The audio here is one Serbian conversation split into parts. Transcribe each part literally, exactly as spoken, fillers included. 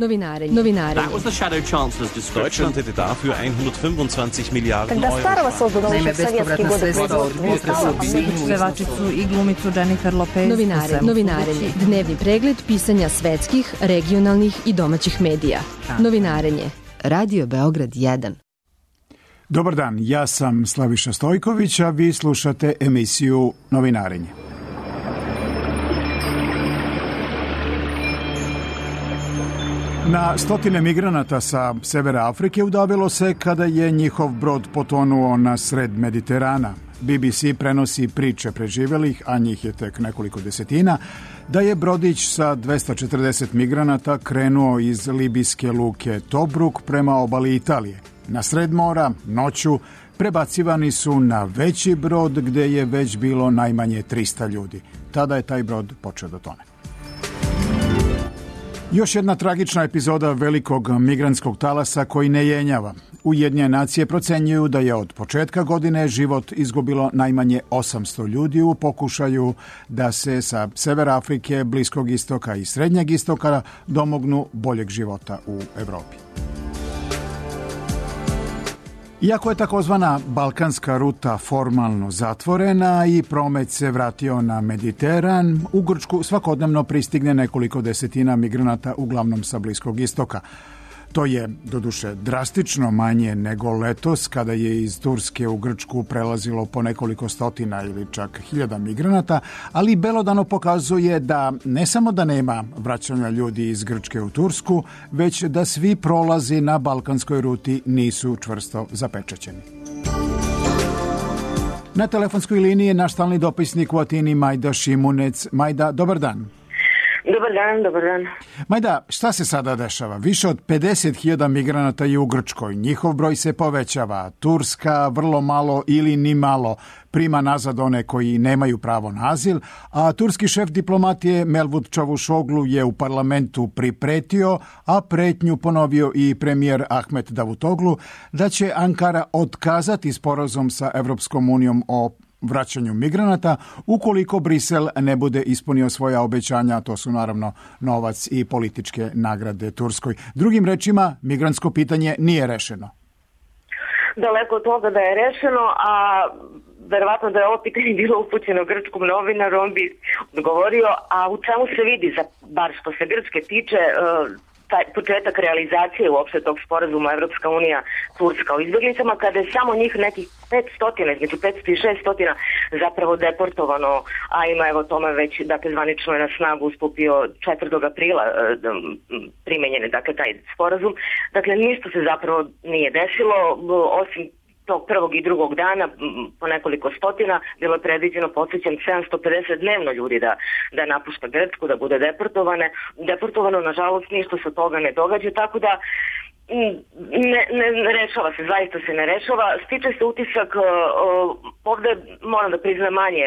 Novinarenje. Novinarenje. That was the shadow chancellor's description. Deutschland hätte dafür hundertfünfundzwanzig Milliarden Euro. Naime, bespovratna sredstva od pevačicu i glumicu Jennifer Lopez. Novinarenje. Novinarenje. Dnevni pregled pisanja svetskih, regionalnih i domaćih medija. Novinarenje. Radio Beograd jedan. Dobar dan, ja sam Slaviša Stojković, a vi slušate emisiju Novinarenje. Na stotine migranata sa severa Afrike udavilo se kada je njihov brod potonuo na sred Mediterana. B B C prenosi priče preživelih, a njih je tek nekoliko desetina, da je brodić sa dvesta četrdeset migranata krenuo iz libijske luke Tobruk prema obali Italije. Na sred mora, noću, prebacivani su na veći brod gde je već bilo najmanje trista ljudi. Tada je taj brod počeo da tone. Još jedna tragična epizoda velikog migrantskog talasa koji ne jenjava. Ujedinjene nacije procenjuju da je od početka godine život izgubilo najmanje osamsto ljudi u pokušaju da se sa severa Afrike, Bliskog istoka i Srednjeg istoka domognu boljeg života u Evropi. Iako je takozvana balkanska ruta formalno zatvorena i promet se vratio na Mediteran, u Grčku svakodnevno pristigne nekoliko desetina migranata, uglavnom sa Bliskog istoka. To je, doduše, drastično manje nego letos, kada je iz Turske u Grčku prelazilo po nekoliko stotina ili čak hiljada migranata, ali belodano pokazuje da ne samo da nema vraćanja ljudi iz Grčke u Tursku, već da svi prolazi na balkanskoj ruti nisu čvrsto zapečaćeni. Na telefonskoj liniji je naš stalni dopisnik u Atini Majda Šimunec. Majda, dobar dan. Dobar dan, dobar dan. Majda, šta se sada dešava? Više od pedeset hiljada migranata je u Grčkoj. Njihov broj se povećava. Turska vrlo malo ili ni malo prima nazad one koji nemaju pravo na azil, a turski šef diplomatije Mevlut Čavuşoglu je u parlamentu pripretio, a pretnju ponovio i premijer Ahmet Davutoglu, da će Ankara otkazati sporazum sa Evropskom unijom o vraćanju migranata ukoliko Brisel ne bude ispunio svoja obećanja, a to su naravno novac i političke nagrade Turskoj. Drugim rečima, migrantsko pitanje nije rešeno. Daleko od toga da je rešeno, a verovatno da je ovo pitanje bilo upućeno grčkom novinaru, on bi odgovorio, a u čemu se vidi, za, bar što se Grčke tiče, taj početak realizacije uopšte tog sporazuma Evropska unija Turska o izbjeglicama, kada je samo njih nekih petsto, između petsto i šesto zapravo deportovano, a ima evo tome već, dakle, zvanično je na snagu stupio četvrtog aprila primenjene, dakle, taj sporazum. Dakle, ništa se zapravo nije desilo, osim tog prvog i drugog dana, po nekoliko stotina, bilo je predviđeno, podsjećam, sedamsto pedeset dnevno ljudi da, da napušta Grčku, da bude deportovane. Deportovano, nažalost, ništa se toga ne događa, tako da ne, ne, ne rešava se, zaista se ne rešava. Stiče se utisak, ovde moram da priznam manje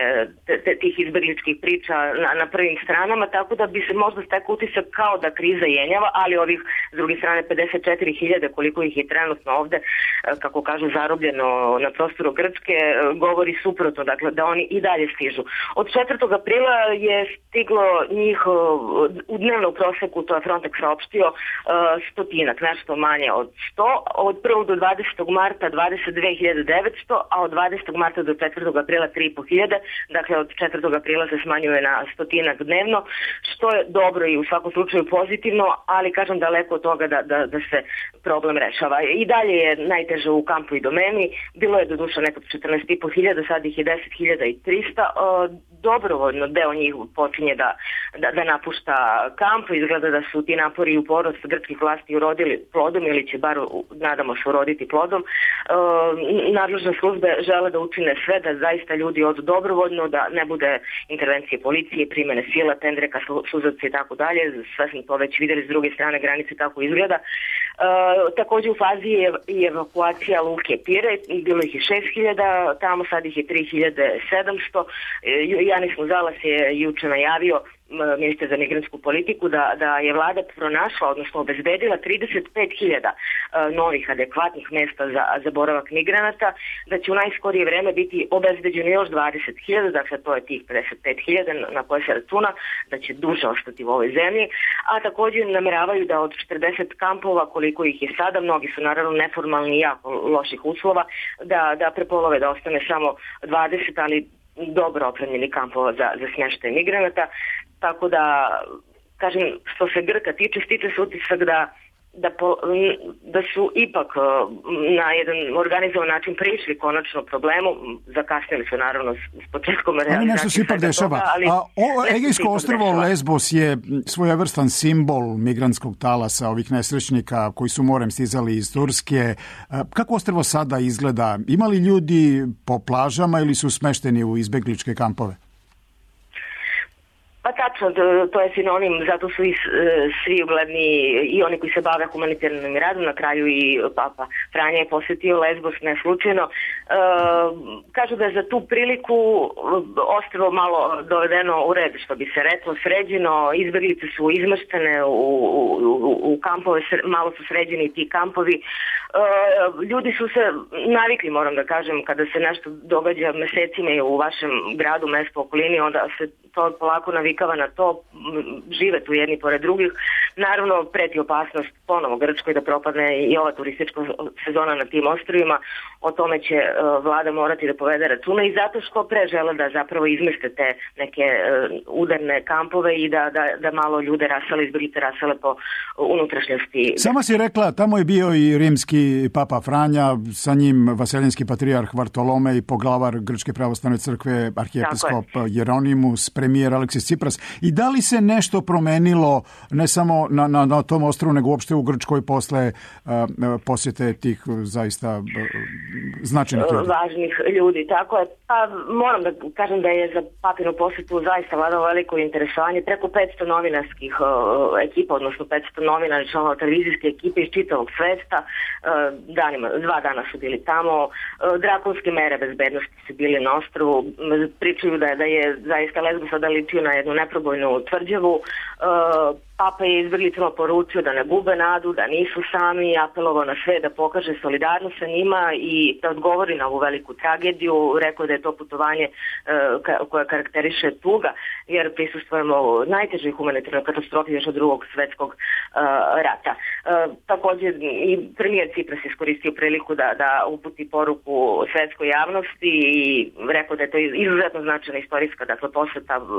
tih izbegličkih priča na, na prvim stranama, tako da bi se možda stekao utisak kao da kriza jenjava, ali ovih s druge strane pedeset četiri hiljade koliko ih je trenutno ovde, kako kažu, zarobljeno na prostoru Grčke, govori suprotno, dakle da oni i dalje stižu. Od četvrtog aprila je stiglo njih u dnevnom proseku, to je Frontex saopštio, stotinak, nešto manje od sto, od prvog do dvadesetog marta dvadeset dve hiljade devetsto, a od dvadesetog marta do četvrtog aprila tri i po hiljade, dakle od četvrtog aprila se smanjuje na stotinak dnevno, što je dobro i u svakom slučaju pozitivno, ali kažem daleko od toga da, da, da se problem rešava. I dalje je najteže u Kampu i Domeni, bilo je do duša nekog četrnaest i po hiljada, sad ih je deset hiljada i trista, dobrovoljno deo njih počinje da, da, da napušta kamp, izgleda da su ti napori u porost grčkih vlasti urodili plodom ili će bar, nadamo se, uroditi plodom. E, nadležne službe žele da učine sve da zaista ljudi odu dobrovoljno, da ne bude intervencije policije, primene sila, tendreka, suzavci i tako dalje. Sve smo to već videli s druge strane granice kako izgleda. E, takođe u fazi je i evakuacija luke Pire, bilo ih je šest hiljada, tamo sad ih je tri hiljade sedamsto. E, Janis Muzalas je juče najavio ministar za migrantsku politiku, da, da je vlada pronašla, odnosno obezbedila trideset pet hiljada novih adekvatnih mesta za, za boravak migranata, da će u najskorije vreme biti obezbeđeno još dvadeset hiljada, dakle to je tih pedeset pet hiljada na koje se računa, da će duže ostati u ovoj zemlji, a također nameravaju da od četrdeset kampova, koliko ih je sada, mnogi su naravno neformalni i jako loših uslova, da, da prepolove, da ostane samo dvadeset, ali dobro opremljeni kampova za, za smještaj migranata. Tako da, kažem, što se Grka tiče, stiče se utisak da, da, po, da su ipak na jedan organizovan način prišli konačno problemu. Zakasnili su naravno s početkom realizacije. Ali nešto se ipak dešava. Toga, a o, Egejsko ostrvo Lesbos je svojevrstan simbol migrantskog talasa, ovih nesrećnika koji su morem stizali iz Turske. Kako ostrvo sada izgleda? Ima li ljudi po plažama ili su smešteni u izbegličke kampove? Pa tačno, to je sinonim, zato su i svi ugledni i oni koji se bave humanitarnim radom, na kraju i Papa Franja je posjetio Lesbos ne slučajno. E, kažu da je za tu priliku ostrvo malo dovedeno u red, što bi se reklo, sređeno, izbeglice su izmaštene u, u, u kampove, malo su sređeni ti kampovi. E, ljudi su se navikli, moram da kažem, kada se nešto događa mesecima u vašem gradu, mestu, okolini, onda se to polako navikava na to, žive tu jedni pored drugih. Naravno, preti opasnost ponovo Grčkoj da propadne i ova turistička sezona na tim ostrvima. O tome će uh, vlada morati da povede računa i zato što pre žele da zapravo izmeste te neke uh, udarne kampove i da, da, da malo ljude rasele, izbjeglice rasele po unutrašnjosti. Sama si rekla, tamo je bio i rimski Papa Franja, sa njim vaseljenski patrijarh Vartolomej, poglavar Grčke pravoslavne crkve, arhijepiskop Jeronimus, premijer Aleksis Tsipras. I da li se nešto promenilo ne samo na, na, na tom ostrvu, nego uopšte u Grčkoj posle uh, posjete tih zaista uh, značajnih ljudi? Važnih ljudi, tako je. Pa moram da kažem da je za papinu posjetu zaista vladalo veliko interesovanje. Preko petsto novinarskih uh, ekipa, odnosno petsto novinara i članova televizijske ekipe iz čitavog sveta. Uh, danima, dva dana su bili tamo. Uh, drakonske mere bezbednosti su bili na ostrvu. Pričaju da, da je zaista Lesbos sada ličio na jednu neprobojnu tvrđavu. Uh, Papa je izbjeglicama poručio da ne gube nadu, da nisu sami, apelovao na sve da pokaže solidarnost sa njima i da odgovori na ovu veliku tragediju. Rekao da je to putovanje uh, koje karakteriše tuga, jer prisustvujemo najtežoj humanitarnoj katastrofi još od drugog svjetskog uh, rata. Uh, također i premijer Tsipras iskoristio priliku da, da uputi poruku svjetskoj javnosti i rekao da je to izuzetno značajna istorijska, dakle, posjeta uh,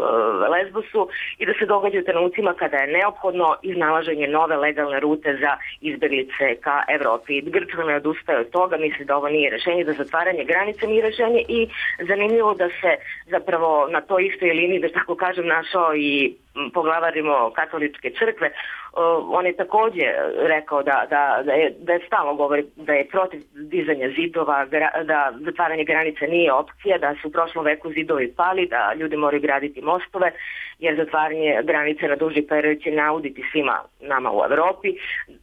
Lesbosu i da se događa u trenucima kada je neophodno iznalaženje nove legalne rute za izbjeglice ka Evropi. Grčka ne odustaje od toga, misli da ovo nije rešenje, da zatvaranje granica nije rešenje i zanimljivo da se zapravo na toj istoj liniji, da tako kažem, našao i poglavarimo katoličke crkve. Uh, on je također rekao da, da, da, je, da je stalno govori da je protiv dizanja zidova, gra, da zatvaranje granica nije opcija, da su u prošlom veku zidovi pali, da ljudi moraju graditi mostove, jer zatvaranje granice na duži period će nauditi svima nama u Evropi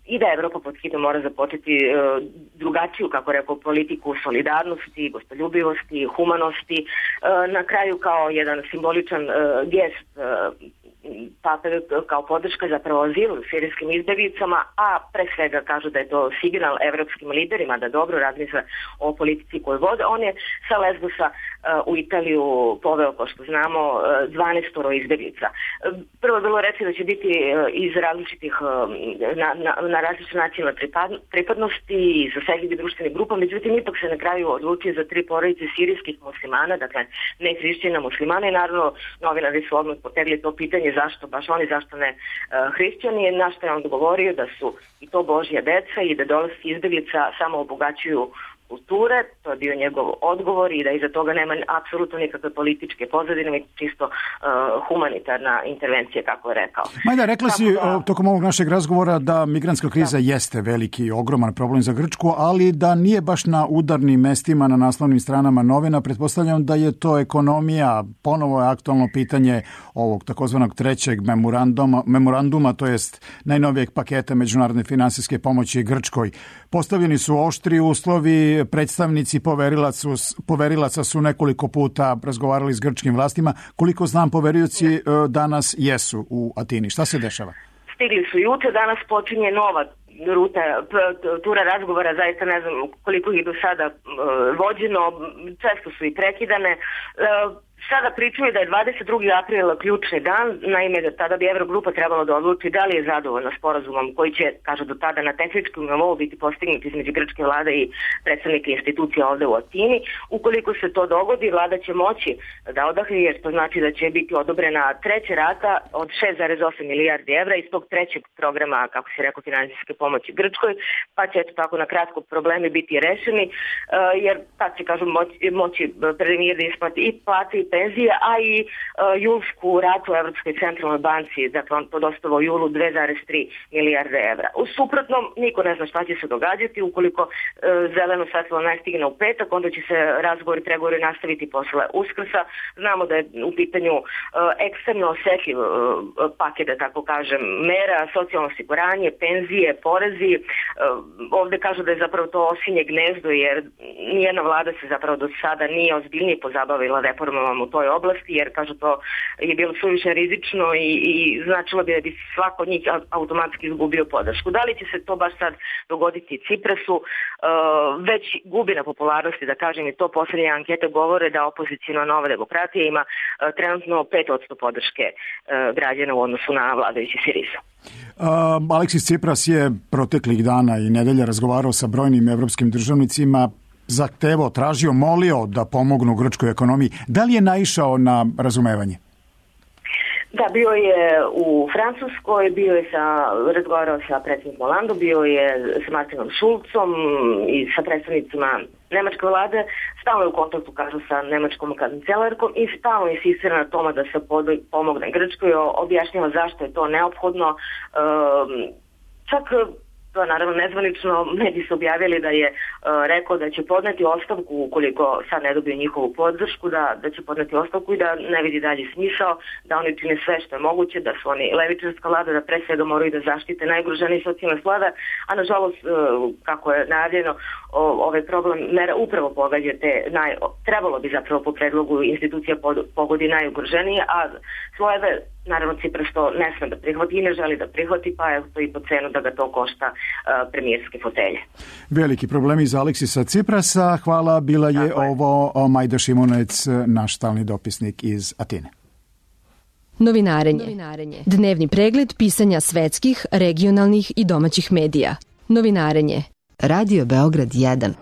i da Evropa pod hitno mora započeti uh, drugačiju, kako rekao, politiku solidarnosti, gostoljubivosti, humanosti. Uh, na kraju kao jedan simboličan uh, gest uh, Pape kao podrška zapravo azilu sirijskim izbjeglicama, a pre svega kažu da je to signal evropskim liderima da dobro razmisle o politici koju vode. On je sa Lesbosa uh, u Italiju poveo, kao što znamo, dvanaest izbjeglica. Uh, prvo je bilo reći da će biti uh, iz različitih uh, na, na, na različite nacionalne pripadnosti i zasegljivi društvenih grupa, međutim ipak se na kraju odlučio za tri porodice sirijskih muslimana, dakle ne hrišćana muslimana i naravno novinari su odmah potegli to pitanje zašto baš oni, zašto ne uh, hrišćani, na što je on odgovorio da su i to Božja deca i da dolasci izbjeglica samo obogaćuju kulture, to je bio njegov odgovor i da iza toga nema apsolutno nikakve političke pozadine, već čisto uh, humanitarna intervencija, kako je rekao. Majda, rekla si da, tokom ovog našeg razgovora da migrantska kriza da. jeste veliki i ogroman problem za Grčku, ali da nije baš na udarnim mestima, na naslovnim stranama novina. Pretpostavljam da je to ekonomija, ponovo je aktualno pitanje ovog takozvanog trećeg memoranduma, memoranduma, to jest najnovijeg paketa međunarodne finansijske pomoći Grčkoj. Postavljeni su oštri uslovi, predstavnici zamenici poverilaca, poverilaca su nekoliko puta razgovarali s grčkim vlastima. Koliko znam, poverioci danas jesu u Atini. Šta se dešava? Stigli su juče, danas počinje nova ruta, tura razgovora, zaista ne znam koliko ih do sada vođeno, često su i prekidane. Sada pričaju da je dvadeset drugog aprila ključni dan, naime da tada bi Evrogrupa trebalo da odluči da li je zadovoljna sporazumom koji će, kaže do tada, na tehničkom nivou biti postignut između grčke vlade i predstavnika institucija ovde u Atini. Ukoliko se to dogodi, vlada će moći da odahne, jer to znači da će biti odobrena treća rata od šest zarez osam milijardi evra iz tog trećeg programa, kako se rekao, finansijske pomoći Grčkoj, pa će eto tako na kratko problemi biti rešeni, jer tad će, kažu, moći, moći premijer da isplati i plate i penzije, a i uh, julsku ratu u Evropskoj centralnoj banci, dakle on to dostavao u julu dve zarez tri milijarde evra. U suprotnom, niko ne zna šta će se događati, ukoliko uh, zeleno svetlo ne stigne u petak, onda će se razgovori, pregovori nastaviti posle Uskrsa. Znamo da je u pitanju uh, ekstremno osetljiv uh, paket, da tako kažem, mera, socijalno osiguranje, penzije, porezi. Uh, ovde kažu da je zapravo to osinje gnezdo, jer nijedna vlada se zapravo do sada nije ozbiljnije pozabavila reformama u toj oblasti, jer kažu to je bilo suviše rizično i, i značilo bi da bi svako od njih automatski izgubio podršku. Da li će se to baš sad dogoditi Ciprasu, uh, već gubi na popularnosti, da kažem, i to poslednje ankete govore da opozicijna Nova demokratija ima uh, trenutno pet posto podrške uh, građana u odnosu na vladajući Siriza. Uh, Aleksis Cipras je proteklih dana i nedelja razgovarao sa brojnim evropskim državnicima, zahtevao, tražio, molio da pomognu grčkoj ekonomiji. Da li je naišao na razumevanje? Da, bio je u Francuskoj, bio je sa, razgovarao sa predsjednikom Hollandom, bio je sa Martinom Schulzom i sa predstavnicima nemačke vlade, stalno je u kontaktu, kažu, sa nemačkom kancelarkom i stalno insistira na tome da se pomogne Grčkoj, objašnjava zašto je to neophodno. Čak to je naravno nezvanično, mediji su objavili da je uh, rekao da će podneti ostavku ukoliko sad ne dobiju njihovu podršku, da, da će podneti ostavku i da ne vidi dalje smisao, da oni čine sve što je moguće, da su oni levičarska vlada, da pre svega moraju da zaštite najugroženije socijalne slada, a nažalost, uh, kako je najavljeno, ovaj problem mera upravo pogađa te, naj, trebalo bi zapravo po predlogu institucija pod, pogodi najugroženije, a slojeve, naravno, Cipras to ne sme da prihvati i ne želi da prihvati, pa je to i po cenu da ga to košta uh, premijerske fotelje. Veliki problemi za Aleksisa Ciprasa. Hvala, bila je, je ovo Majda Šimunec, naš stalni dopisnik iz Atine. Novinarenje. Novinarenje. Dnevni pregled pisanja svetskih, regionalnih i domaćih medija. Novinarenje. Radio Beograd jedan.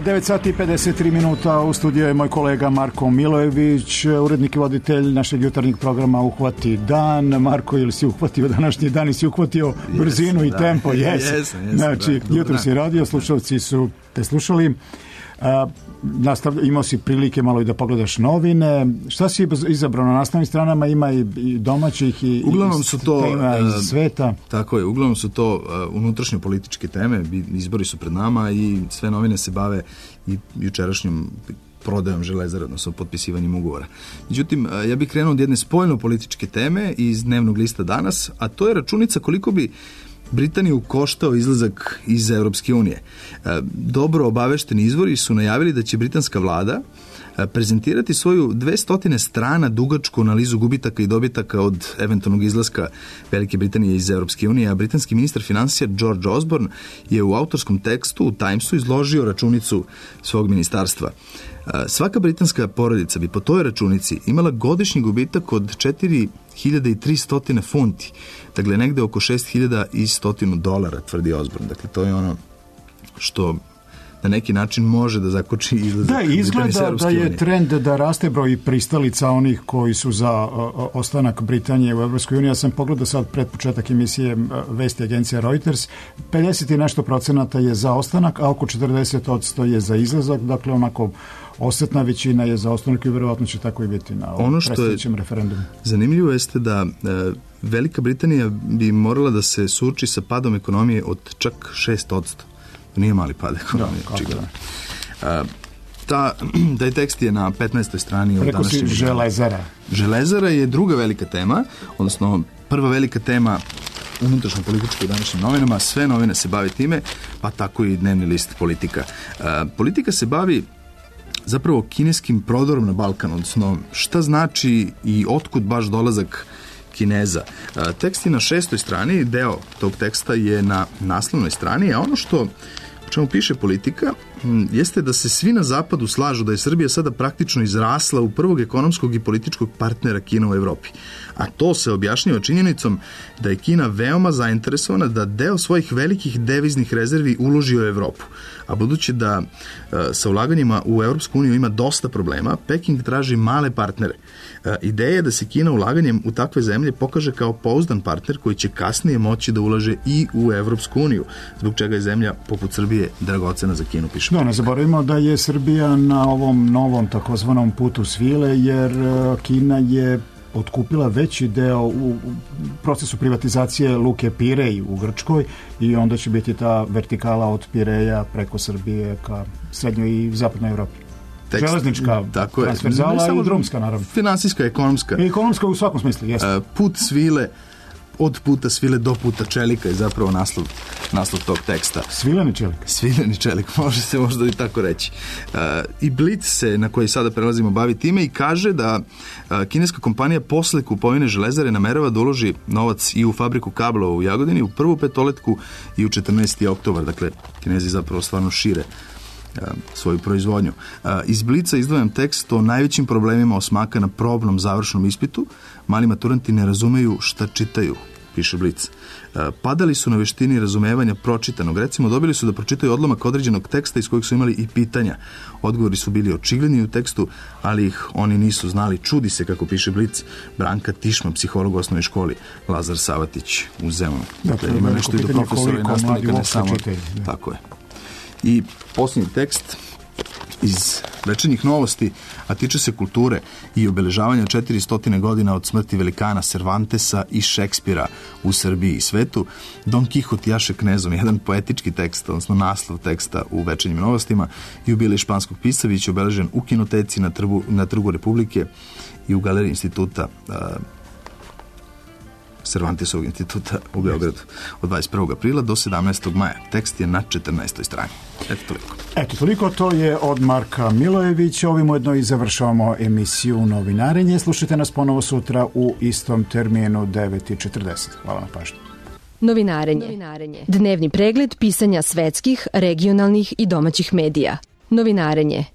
devet sati i pedeset tri minuta, u studiju je moj kolega Marko Milojević, urednik i voditelj našeg jutarnjeg programa Uhvati dan. Marko, ili si uhvatio današnji dan i si uhvatio yes, brzinu i da. tempo? Yes. Yes, yes, znači, da, jutro si radio, slušalci su te slušali. A, nastav, imao si prilike malo i da pogledaš novine. Šta si izabrao na naslovnim stranama? Ima i, i domaćih i, uglavnom su to, tema iz sveta. Tako je, uglavnom su to uh, unutrašnje političke teme, izbori su pred nama i sve novine se bave i jučerašnjom prodajom Železare, odnosno potpisivanjem ugovora. Međutim, ja bih krenuo od jedne spoljno političke teme iz dnevnog lista Danas, a to je računica koliko bi Britaniju koštao izlazak iz Europske unije. Dobro obavešteni izvori su najavili da će britanska vlada prezentirati svoju dvesta strana dugačku analizu gubitaka i dobitaka od eventualnog izlaska Velike Britanije iz Europske unije, a britanski ministar finansija George Osborne je u autorskom tekstu u Timesu izložio računicu svog ministarstva. Svaka britanska porodica bi po toj računici imala godišnji gubitak od četiri hiljade tristo funti, dakle negde oko šest hiljada sto dolara, tvrdi Osborne. Dakle, to je ono što na neki način može da zakoči izlazak. Da, izgleda da je unije. trend da raste broj pristalica onih koji su za o, ostanak Britanije u Evropskoj uniji. Ja sam pogledao sad pred početak emisije vesti agencija Reuters, pedeset i nešto procenata je za ostanak, a oko četrdeset odsto je za izlazak, dakle onako osetna većina je za ostanak i verovatno će tako i biti na ovom predstojećem referendumu. Zanimljivo jeste da e, Velika Britanija bi morala da se suoči sa padom ekonomije od čak šest odsto. To nije mali pad ekonomije. Da, ta, taj tekst je na petnaestoj strani. Preko si železara. Železara je druga velika tema, odnosno prva velika tema unutrašnjo političko u današnjim novinama. Sve novine se bavi time, pa tako i dnevni list Politika. E, politika se bavi zapravo kineskim prodorom na Balkan, odnosno šta znači i otkud baš dolazak Kineza. Tekst je na šestoj strani, deo tog teksta je na naslovnoj strani, a ono što o čemu piše Politika jeste da se svi na zapadu slažu da je Srbija sada praktično izrasla u prvog ekonomskog i političkog partnera Kina u Evropi. A to se objašnjava činjenicom da je Kina veoma zainteresovana da deo svojih velikih deviznih rezervi uloži u Evropu. A budući da e, sa ulaganjima u Evropsku uniju ima dosta problema, Peking traži male partnere. E, ideja je da se Kina ulaganjem u takve zemlje pokaže kao pouzdan partner koji će kasnije moći da ulaže i u Evropsku uniju, zbog čega je zemlja poput Srbije dragocena za Kinu, piše. Da, ne zaboravimo da je Srbija na ovom novom takozvanom putu svile, jer Kina je otkupila veći deo u procesu privatizacije luke Pirej u Grčkoj i onda će biti ta vertikala od Pireja preko Srbije ka srednjoj i zapadnoj Evropi. Tekst, železnička, transverzala i drumska, naravno. Finansijska, ekonomska. I ekonomska u svakom smislu, jeste. Put svile, od puta svile do puta čelika je zapravo naslov, naslov tog teksta. Svileni čelik? Svileni čelik, može se možda i tako reći. Uh, I Blitz se, na koji sada prelazimo, bavi time i kaže da uh, kineska kompanija posle kupovine železare namerava da uloži novac i u fabriku kablova u Jagodini, u prvu petoletku i u četrnaesti oktobar. Dakle, Kinezi zapravo stvarno šire svoju proizvodnju. Iz Blica izdvajam tekst o najvećim problemima osmaka na probnom završnom ispitu. Mali maturanti ne razumeju šta čitaju, piše Blic. Padali su na veštini razumevanja pročitanog. Recimo, dobili su da pročitaju odlomak određenog teksta iz kojeg su imali i pitanja. Odgovori su bili očigledni u tekstu, ali ih oni nisu znali. Čudi se, kako piše Blic, Branka Tišma, psiholog u osnovnoj školi, Lazar Savatić u Zemunu. Dakle, ima nešto i do profesora i nastavnika, ne samo. Tako je. I posljednji tekst iz Večernjih novosti, a tiče se kulture i obeležavanja četiristo godina od smrti velikana Cervantesa i Šekspira u Srbiji i svetu. Don Kihot jaše knezom, jedan poetički tekst, odnosno naslov teksta u Večernjim novostima. Jubilej španskog pisca biće obeležen u kinoteci na, trbu, na Trgu Republike i u galeriji instituta uh, Cervantesovog instituta u Beogradu od dvadeset prvog aprila do sedamnaestog maja. Tekst je na četrnaestoj strani. Eto toliko. Eto toliko, to je od Marka Milojevića. Ovim ujedno i završavamo emisiju Novinarenje. Slušajte nas ponovo sutra u istom terminu devet i četrdeset. Hvala na pažnju. Novinarenje. Novinarenje. Dnevni pregled pisanja svetskih, regionalnih i domaćih medija. Novinarenje.